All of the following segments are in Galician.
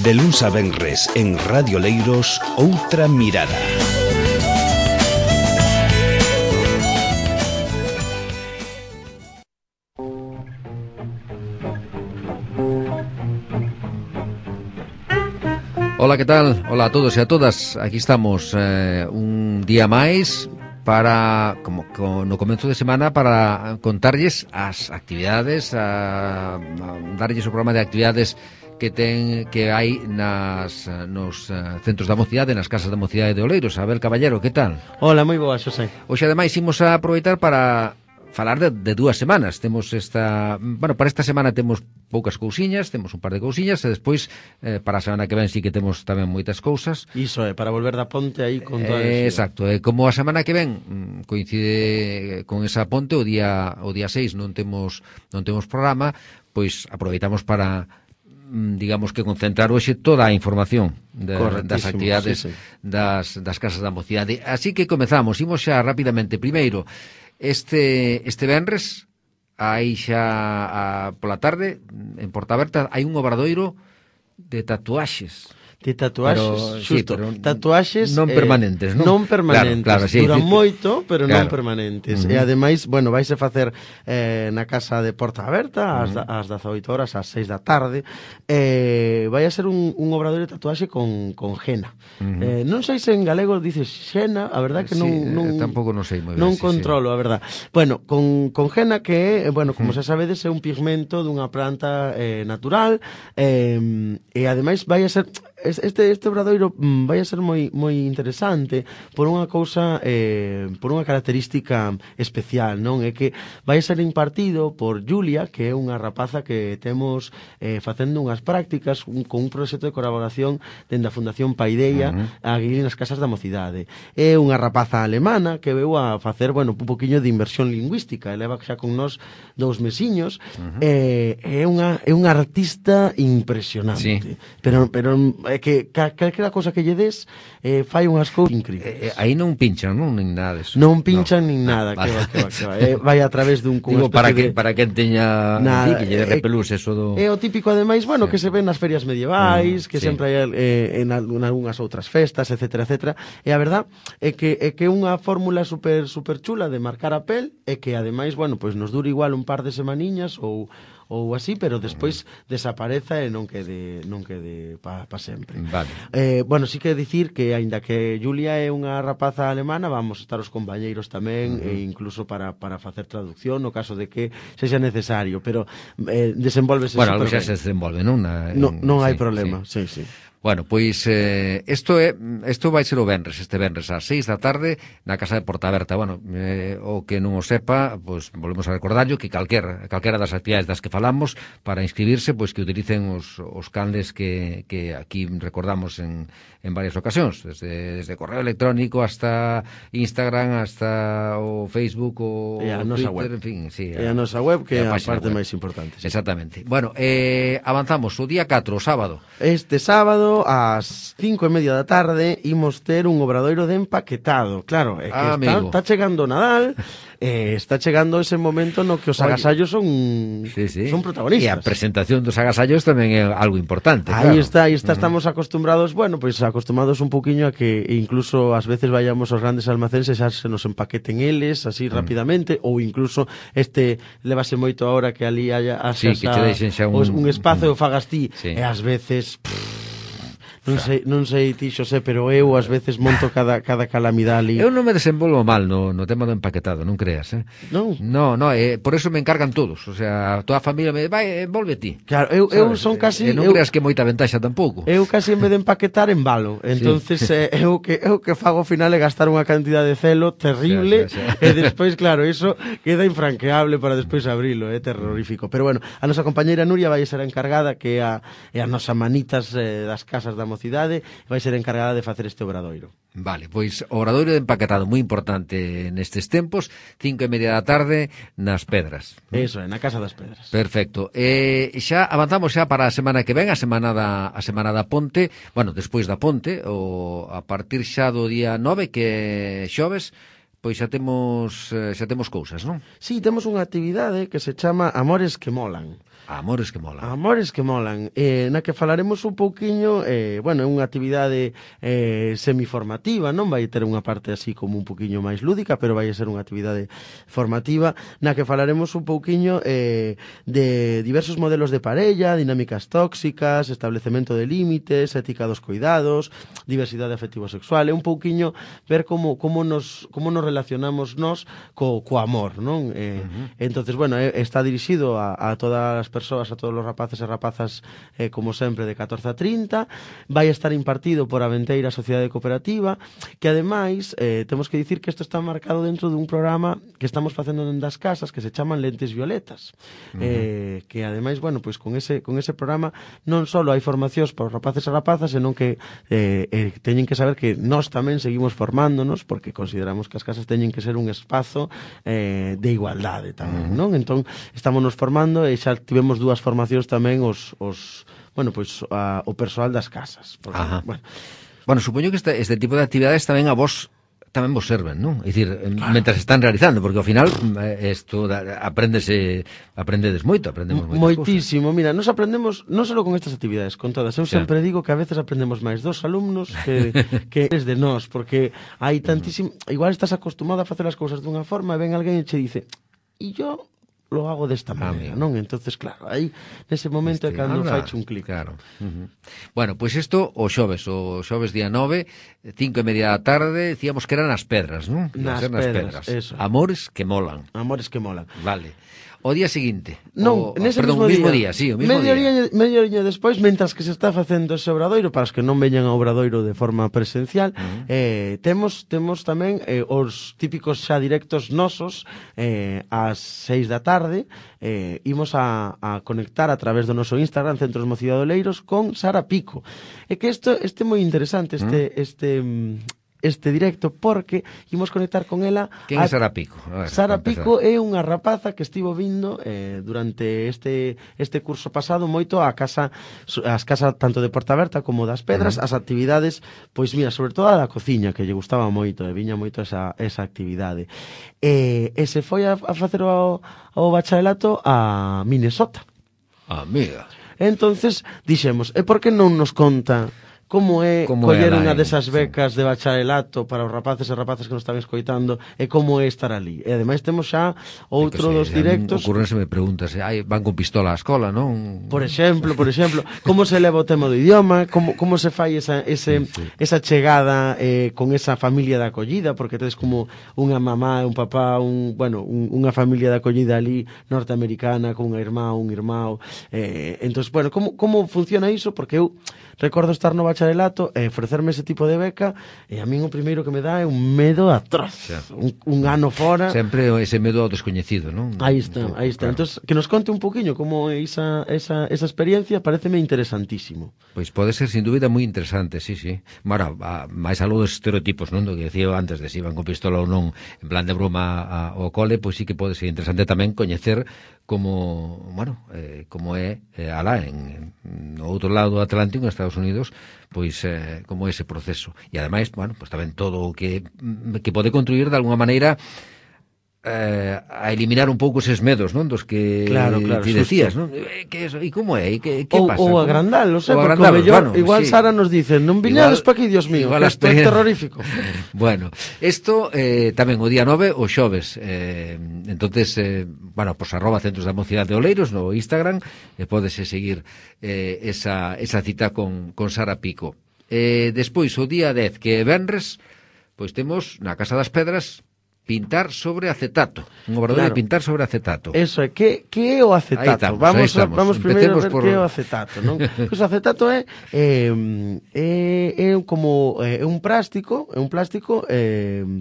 De luns a venres en Radio Leiros, Outra Mirada. Hola, que tal? Hola a todos e a todas. Aquí estamos un día máis para, como no comezo de semana, para contarlles as actividades, a darlles o programa de actividades que hai nos centros da mocidade, nas casas da mocidade de Oleiros. Abel Caballero, que tal? Hola, moi boa, Xosé. Hoxe, ademais, imos a aproveitar para falar de 2 semanas. Temos para esta semana temos poucas cousiñas, temos un par de cousiñas, e despois para a semana que ven sí que temos tamén moitas cousas. Iso é, para volver da ponte aí con toda exacto, como a semana que ven coincide con esa ponte, o día 6 non temos programa, pois aproveitamos para, digamos, que concentrar hoxe toda a información das actividades, sí. das casas da mocidade. Así que comezamos, imos xa rapidamente. Primeiro, este venres, aí xa pola tarde, en Portaberta, hai un obradoiro de tatuaxes. De tatuaxes, xusto, sí, tatuaxes non permanentes, non? Non permanentes, claro, sí, duran moito, pero non permanentes. Uh-huh. E ademais, bueno, vaise facer na casa de Porta Aberta ás 18 horas, ás 6 da tarde. Vai a ser un obradoiro de tatuaxe con henna. Uh-huh. Non sei se en galego dices henna, a verdad que non tampouco non sei moi ben. Non controlo, a verdad. Bueno, con henna que, bueno, como xa sabedes, é un pigmento dunha planta natural, e ademais vai a ser este obradoiro vai a ser moi interesante por unha cousa, por unha característica especial, non? É que vai a ser impartido por Julia, que é unha rapaza que temos facendo unhas prácticas con un proxecto de colaboración dende a Fundación Paideia aquí nas casas da mocidade. É unha rapaza alemana que veu a facer, bueno, un poquinho de inversión lingüística, e leva xa con nós 2 mesiños. É unha artista impresionante, sí. Pero é que calquera cosa que lle des fai unhas cousas increíbles. Aí non pinchan, non? Nin nada deso. Non pinchan nin nada, que va. Vai a través dun para quen teña que lle repelús eso do... É o típico, ademais, bueno, que se ven nas ferias medievais, que sempre hai en algunhas outras festas, etcétera, etcétera. E a verdad é que é unha fórmula super chula de marcar a pel, e que ademais, bueno, pois nos dura igual un par de semaniñas ou así, pero despois desapareza e non quede pa sempre. Vale. Bueno, sí que dicir que, aínda que Julia é unha rapaza alemana, vamos estar os compañeiros tamén, e incluso para facer traducción no caso de que sexa necesario, pero desenvolvese super ben. Bueno, xa se desenvolve, non? Non hai problema, sí. Bueno, pois isto vai ser este venres ás 6 da tarde na casa de Portaberta. Bueno, o que non o sepa, pois volvemos a recordarlo que calquera das actividades das que falamos, para inscribirse, pois que utilicen os canles que aquí recordamos en varias ocasións, desde correo electrónico hasta Instagram, hasta o Facebook, o Twitter, web. En fin, sí, a nosa web, que é a parte máis importante. Sí. Exactamente. Bueno, avanzamos o día 4, o sábado. Este sábado ás 5:30 da tarde imos ter un obradoiro de empaquetado. Claro, é que está chegando o Nadal, está chegando ese momento no que os agasallos son protagonistas. E a presentación dos agasallos tamén é algo importante. Aí está, estamos acostumbrados, bueno, pois acostumados un poquinho a que incluso ás veces vayamos aos grandes almacenes e xa se nos empaqueten eles así rapidamente, ou incluso levase moito ahora que ali haya que te deixen xa un espazo e o fagas ti, e ás veces Non sei ti, Xosé, pero eu ás veces monto cada calamidade ali. Eu non me desenvolvo mal no tema do empaquetado, non creas, Non? No, por eso me encargan todos, o sea, toda a familia me vai, envolve ti. Claro, eu son casi... non creas que moita ventaxa tampouco. Eu casi en vez de empaquetar embalo, entonces eu que fago ao final é gastar unha cantidad de celo terrible, e despois, claro, iso queda infranqueable para despois abrilo, é terrorífico. Pero bueno, a nosa compañeira Nuria vai ser a encargada, que é a nosa manitas das casas da mocidade, vai ser encargada de facer este obradoiro. Vale, pois o obradoiro de empaquetado moi importante nestes tempos, 5:30 da tarde nas Pedras. Eso, na Casa das Pedras. Perfecto. Xa avanzamos xa para a semana que ven, a semana da Ponte. Bueno, despois da Ponte, a partir xa do día 9, que é xoves, pois xa temos cousas, non? Sí, temos unha actividade que se chama Amores que Molan. Amores que molan. Amores que molan, na que falaremos un pouquiño, bueno, é unha actividade semiformativa, non vai ter unha parte así como un pouquiño máis lúdica, pero vai ser unha actividade formativa, na que falaremos un pouquiño de diversos modelos de parella, dinámicas tóxicas, establecemento de límites, ética dos cuidados, diversidade afectivo-sexual, é un pouquiño ver como nos relacionamos nós co amor, non? Entonces, bueno, está dirixido a todas as persoas, a todos os rapaces e rapazas, como sempre, de 14 a 30. Vai estar impartido por Aventeira Sociedade Cooperativa, que ademais temos que dicir que isto está marcado dentro dun programa que estamos facendo dentro das casas que se chaman Lentes Violetas, que ademais, bueno, pois con ese programa non só hai formacións para os rapaces e rapazas, senón que teñen que saber que nós tamén seguimos formándonos, porque consideramos que as casas teñen que ser un espazo de igualdade tamén, non? Entón, estamos nos formando e xa tivemos dúas formacións tamén bueno, pois o persoal das casas. Porque, bueno, supoño que este tipo de actividades tamén a vos tamén vos serven, non? É dicir, claro, mentras están realizando, porque ao final isto aprendedes moito, aprendemos moitas moitísimo, cosas. Mira, nos aprendemos non só con estas actividades, con todas. Eu sempre digo que a veces aprendemos máis dos alumnos que desde nós, porque hai tantísimo, igual estás acostumado a facer as cousas dunha forma e ven alguén e che dice, e yo lo hago desta maneira, non? Entonces, claro, aí nese momento é cando faiche un clic. Claro. Bueno, pois isto o xoves día 9, 5:30 da tarde, decíamos que eran nas Pedras, non? Nas Pedras, eso. Amores que molan. Amores que molan. Vale. O día seguinte. Nese mismo día. Sí, o mismo día. Medio día despois, mentras que se está facendo ese obradoiro, para os que non veñan ao obradoiro de forma presencial, temos tamén os típicos xa directos nosos ás 6 da tarde, imos a conectar a través do noso Instagram, Centros Mociadoleiros, con Sara Pico. É que este é moi interesante, este directo, porque imos conectar con ela. Quen é Sara Pico? Sara Pico é unha rapaza que estivo vindo durante este curso pasado moito as casas tanto de Porta Berta como das Pedras, as actividades, pois mira, sobre todo a da cociña, que lle gustaba moito, e viña moito esa actividade. E se foi a facer o bacharelato a Minnesota. Amiga. Entonces dixemos, e por que non nos conta como coller unha desas becas de bacharelato para os rapaces e rapazas que nos están escoitando, e como é estar ali. E ademais temos xa outro dos directos. Ocurrenseme preguntas, van con pistola á escola, non? Por exemplo, como se leva o tema do idioma, como se fai esa chegada con esa familia de acollida, porque tedes como unha mamá e un papá, unha familia de acollida ali norteamericana con unha irmá, un irmão. Entón, bueno, como funciona iso? Porque eu recordo estar no bacharelato e ofrecerme ese tipo de beca, e a min o primeiro que me dá é un medo atroz. Un ano fora. Sempre ese medo ao descoñecido, non? Aí está. Claro. Entón, que nos conte un poquinho como é esa experiencia, pareceme interesantísimo. Pois pode ser, sin dúbida, moi interesante, sí. Mara, máis algo dos estereotipos, non? Do que decía antes de se iban con pistola ou non, en plan de broma ao cole, pois sí que pode ser interesante tamén coñecer como é alá no outro lado do Atlántico, en Estados Unidos, pois como ese proceso. E ademais, pois tamén todo o que pode contribuir de alguna maneira a eliminar un pouco eses medos, non? Dos que ti decías, non? E como é? Que pasa? Ou agrandalos, porque igual sí. Sara nos dice, non viñades pa aquí, Dios mío, que é terrorífico. Bueno, isto tamén o día 9, o xoves, entonces, pues @Centros da Mocidade de Oleiros no Instagram, pódese seguir esa cita con Sara Pico. Despois, o día 10, que é venres, pois temos na Casa das Pedras pintar sobre acetato, un obradoiro de pintar sobre acetato. Eso é, que é o acetato? Vamos primeiro a ver que é o acetato, non? Pois o acetato é como un plástico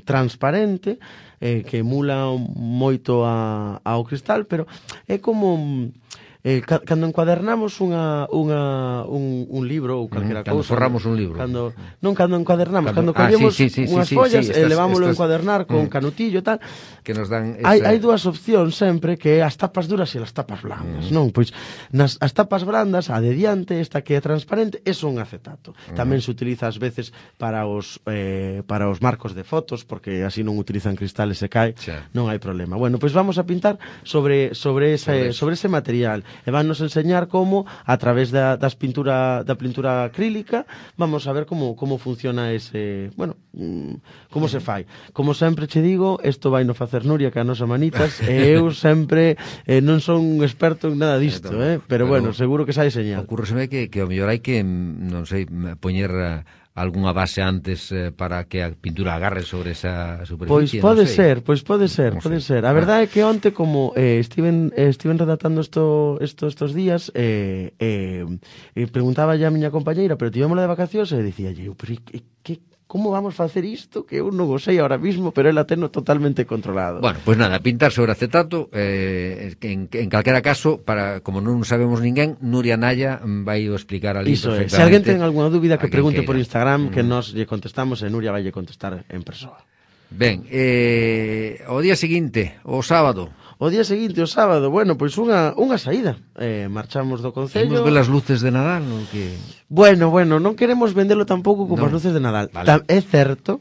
transparente, que emula moito ao cristal, pero é como cando encuadernamos un libro ou calquera cousa. Cando forramos un libro. Cando encuadernamos, cando collemos unhas follas e levámoslo a encuadernar con canutillo e tal. Que nos dan hai dúas opcións sempre, que é as tapas duras e as tapas blandas, non? Pois as tapas brandas, a de diante, esta que é transparente, é un acetato. Tamén se utiliza ás veces para os marcos de fotos, porque así non utilizan cristales e cae, non hai problema. Bueno, pois vamos a pintar sobre ese material. e vannos enseñar como a través da pintura acrílica vamos a ver como funciona ese, bueno, como se fai. Como sempre che digo, isto vai no facer Nuria que a nosa manitas, e eu sempre non son un experto en nada disto, pero bueno, seguro que sai señal. Ocurreseme que ao mellor hai que, non sei, poñer algunha base antes para que a pintura agarre sobre esa superficie. Pois pode ser. A verdade é que onte, como estiven redactando estos días, preguntaba ya a miña compañeira, pero tivémola de vacacións, e dicía, pero como vamos facer isto? Que eu non o sei ahora mismo, pero ela teno totalmente controlado. Bueno, pois nada, pintar sobre acetato, en calquera caso, como non sabemos ninguén, Nuria Naya vai o explicar ali Iso perfectamente. Se alguén ten alguna dúbida que pregunte por Instagram, que nos lle contestamos e Nuria vai lle contestar en persoa. Ben, o día seguinte, o sábado. O día seguinte, o sábado, bueno, pois unha saída. Marchamos do Concello. Imos ver as luces de Nadal, non que... Bueno, non queremos vendelo tampouco como as luces de Nadal. Vale. É certo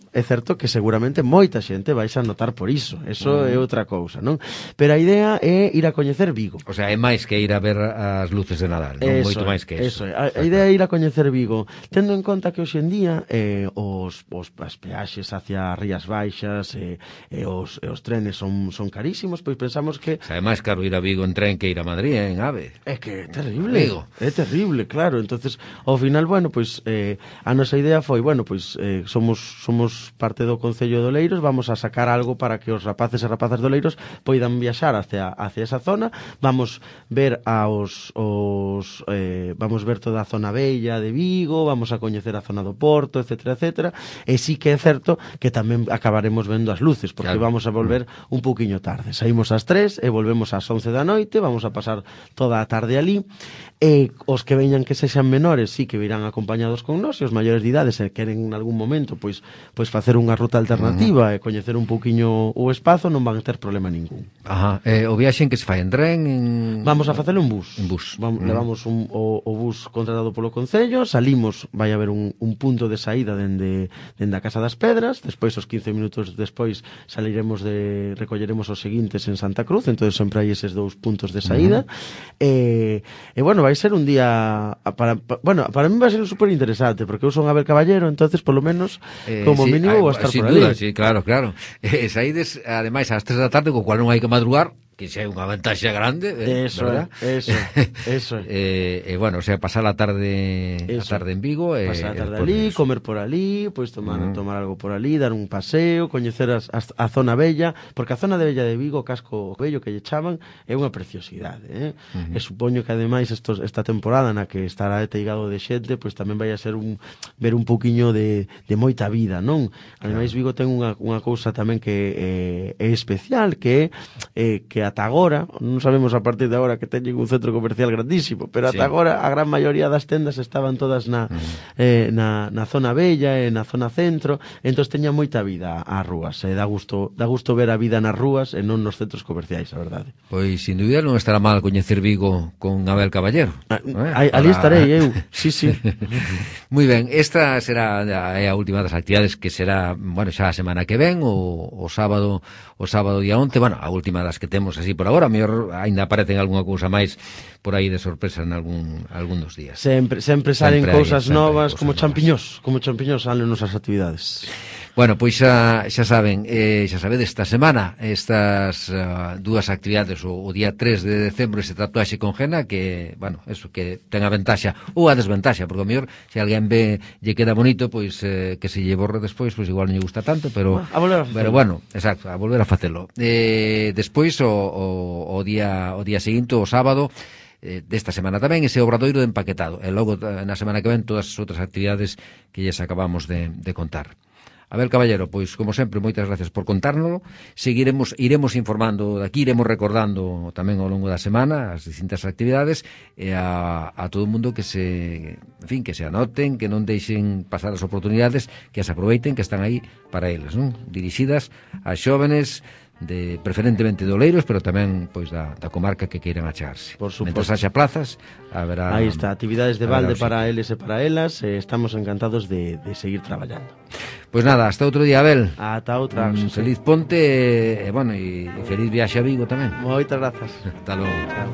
que seguramente moita xente vais a notar por iso. Eso é outra cousa, non? Pero a idea é ir a coñecer Vigo. O sea, é máis que ir a ver as luces de Nadal, non? Moito máis que eso. A idea é ir a coñecer Vigo, tendo en conta que hoxe en día as peaxes hacia Rías Baixas e os trenes son carísimos, pois pensamos que... O sea, é máis caro ir a Vigo en tren que ir a Madrid, en AVE. É que é terrible. É terrible, claro. Entonces, ao final, bueno, pois a nosa idea foi, bueno, pois somos parte do Concello de Oleiros, vamos a sacar algo para que os rapaces e rapazas de Oleiros poidan viaxar hacia esa zona, vamos ver vamos ver toda a zona bella de Vigo, vamos a coñecer a zona do Porto, etcétera, e sí que é certo que tamén acabaremos vendo as luces, porque vamos a volver un pouquiño tarde. Saímos ás 3 e volvemos ás 11 da noite, vamos a pasar toda a tarde ali, e os que veñan que sexan menores sí que virán acompañados con nós, e os maiores de idade se queren en algún momento pois facer unha ruta alternativa e coñecer un pouquiño o espazo, non van ter problema ningún. Ajá. O viaxe en que se fai en tren? Vamos a facelo en bus. Levamos o bus contratado polo Concello, salimos, vai haber un punto de saída dende a Casa das Pedras, despois os 15 minutos despois recolleremos os seguintes en Santa Cruz, entonces sempre hai eses dous puntos de saída. E bueno, vai ser un día para mí vai ser super interesante, porque eu son Abel Caballero, entonces polo menos como mínimo vou estar por ali. Sin duda, sí, claro. Saídes ademais ás 3 da tarde, co cual non hai que madrugar, que xa é unha vantaxe grande, eso. Bueno, o sea, pasar a tarde en Vigo, pasar a tarde ali, comer por ali, pois tomar algo por ali, dar un paseo, coñecer a zona bella, porque a zona de bella de Vigo, o casco bello que lle chaman, é unha preciosidade, e supoño que ademais esta temporada na que estará teigado de xente, pois tamén vai a ser ver un pouquiño de moita vida, non? Ademais Vigo ten unha cousa tamén que é especial, que ata agora, non sabemos a partir de agora que teñen un centro comercial grandísimo, pero ata agora a gran maioría das tendas estaban todas na zona bella e na zona centro, entón teña moita vida as rúas, e dá gusto ver a vida nas rúas e non nos centros comerciais, a verdade. Pois, sin dúbida, non estará mal coñecer Vigo con Abel Caballero. Ali estarei eu, sí. Moi ben, esta será a última das actividades, que será, bueno, xa a semana que ven, o sábado día 11, bueno, a última das que temos así por agora, mellor ainda aparecen algunha cousa máis por aí de sorpresa en algún dos días. Sempre salen cousas novas, como champiñós salen nosas actividades. Bueno, pois xa saben, xa sabedes, esta semana estas dúas actividades, o día 3 de decembro ese tatuaxe con Gena, que, bueno, eso, que ten a ventaxa ou a desventaxa, porque o mellor, se alguén ve lle queda bonito, pois que se lle borre despois, pois igual non lle gusta tanto, pero bueno, exacto, a volver a facelo. Despois o día seguinte, o sábado desta semana tamén, ese obradoiro de empaquetado, e logo na semana que ven todas as outras actividades que lles acabamos de contar. Abel Caballero, pois, como sempre, moitas gracias por contárnoslo. Iremos informando daqui, iremos recordando tamén ao longo da semana as distintas actividades, e a todo o mundo que se anoten, que non deixen pasar as oportunidades, que as aproveiten, que están aí para eles, non? Dirixidas a xóvenes preferentemente de Oleiros, pero tamén pois da comarca que queiran achegarse. Por suposto. Mentras haxa plazas, haberá... Aí está, actividades de balde para eles e para elas, estamos encantados de seguir traballando. Pois nada, hasta outro día, Abel. Ata outra. Feliz ponte, e feliz viaxe a Vigo tamén. Moitas grazas. Hasta logo. Chao.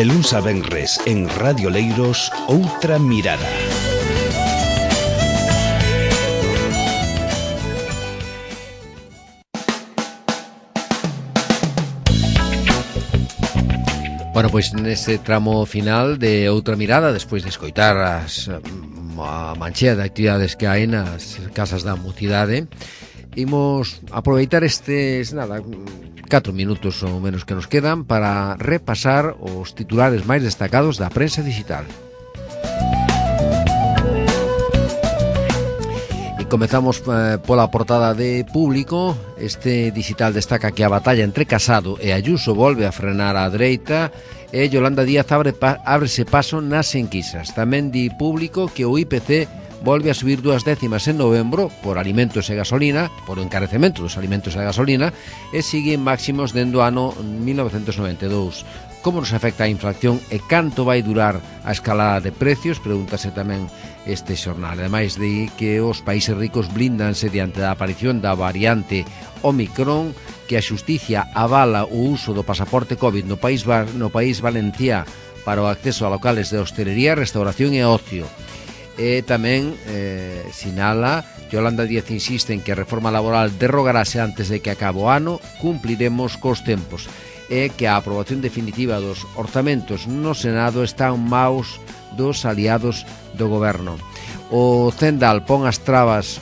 De luns a venres en Radio Leiros, Outra Mirada. Bueno, pois neste tramo final de Outra Mirada, despois de escoitar a manchea de actividades que hai nas casas da mocidade, imos aproveitar estes, 4 minutos ou menos que nos quedan para repasar os titulares máis destacados da prensa digital. E comezamos pola portada de Público. Este digital destaca que a batalla entre Casado e Ayuso volve a frenar a dereita e Yolanda Díaz ábrese paso nas enquisas. Tamén di Público que o IPC volve a subir 2 décimas en novembro por alimentos e gasolina, por o encarecemento dos alimentos e a gasolina, e sigue en máximos dende o ano 1992. Como nos afecta a inflación e canto vai durar a escalada de precios? Pregúntase tamén este xornal. Ademais de que os países ricos blíndanse diante da aparición da variante Omicron, que a xusticia avala o uso do pasaporte COVID no país Valenciá para o acceso a locales de hostelería, restauración e ocio. E tamén sinala Yolanda Díaz insiste en que a reforma laboral derrogarase antes de que acabe o ano, cumpliremos cos tempos, e que a aprobación definitiva dos orzamentos no Senado está en maus dos aliados do goberno. O Cendal pon trabas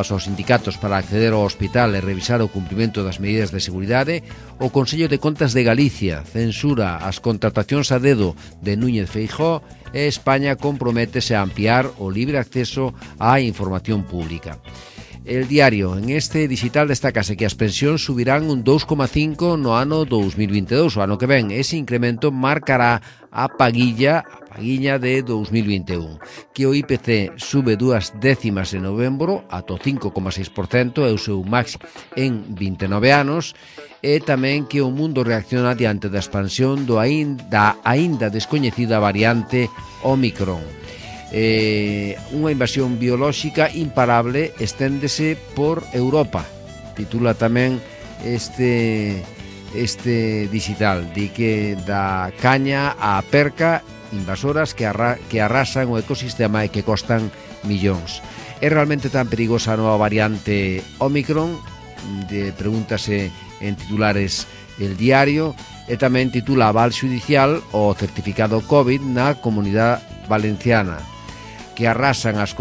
aos sindicatos para acceder ao hospital e revisar o cumprimento das medidas de seguridade. O Consello de Contas de Galicia censura as contratacións a dedo de Núñez Feijóo e España comprométese a ampliar o libre acceso á información pública. El Diario, en este digital destacase que as pensións subirán un 2,5 no ano 2022, o ano que ven. Ese incremento marcará a paguilla de 2021, que o IPC sube 2 décimas en novembro ata o 5,6%, é o seu máximo en 29 anos, e tamén que o mundo reacciona diante da expansión da aínda descoñecida variante Omicron. Unha invasión biolóxica imparable esténdese por Europa, titula tamén este digital. Di que da caña á perca, invasoras que arrasan o ecosistema e que costan millóns. É realmente tan perigosa a nova variante Omicron? Pregúntase en titulares El Diario, e tamén titula aval xudicial o certificado COVID na Comunidade Valenciana, que arrancan as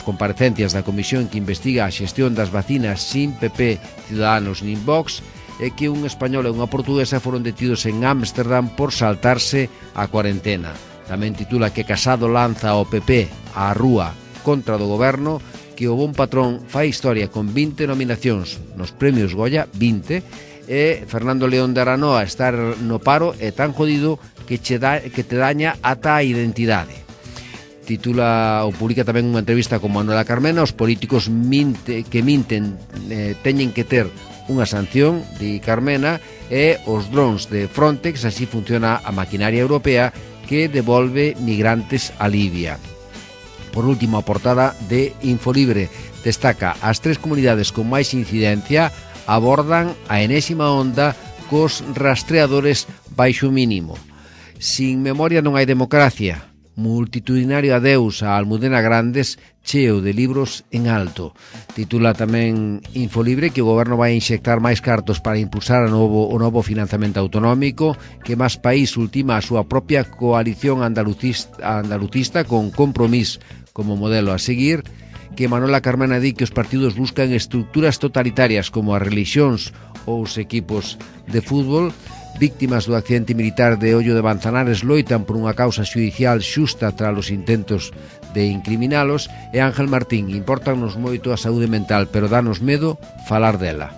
comparecencias da comisión que investiga a xestión das vacinas sin PP, Ciudadanos nin Vox, e que un español e unha portuguesa foron detidos en Ámsterdam por saltarse a cuarentena. Tamén titula que Casado lanza o PP á rúa contra do goberno, que o Bon Patrón fai historia con 20 nominacións nos premios Goya, 20, e Fernando León de Aranoa estar no paro é tan jodido que te daña ata a identidade. Titula ou publica tamén unha entrevista con Manuela Carmena. Os políticos que minten teñen que ter unha sanción, di Carmena, e os drons de Frontex, así funciona a maquinaria europea que devolve migrantes a Libia. Por último, a portada de Infolibre destaca as 3 comunidades con máis incidencia abordan a enésima onda cos rastreadores baixo mínimo. Sin memoria non hai democracia. Multitudinario adeus a Almudena Grandes, cheo de libros en alto. Titula tamén Infolibre que o goberno vai inxectar máis cartos para impulsar o novo financiamento autonómico, que máis país ultima a súa propia coalición andalucista con Compromís como modelo a seguir, que Manuela Carmena di que os partidos buscan estructuras totalitarias como as religións ou os equipos de fútbol. Víctimas do accidente militar de Ollo de Manzanares loitan por unha causa xudicial xusta tras os intentos de incriminalos. E Ángel Martín, importanos moito a saúde mental, pero danos medo falar dela.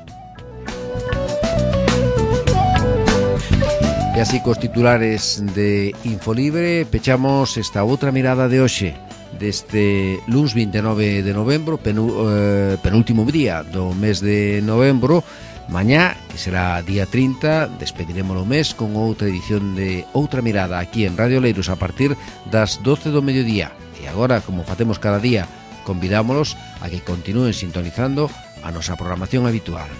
E así cos titulares de Infolibre pechamos esta outra mirada de hoxe, deste luns 29 de novembro, penúltimo día do mes de novembro. Mañá, que será día 30, despediremos o mes con outra edición de Outra Mirada aquí en Radio Leiros a partir das 12 do mediodía. E agora, como facemos cada día, convidámolos a que continúen sintonizando a nosa programación habitual.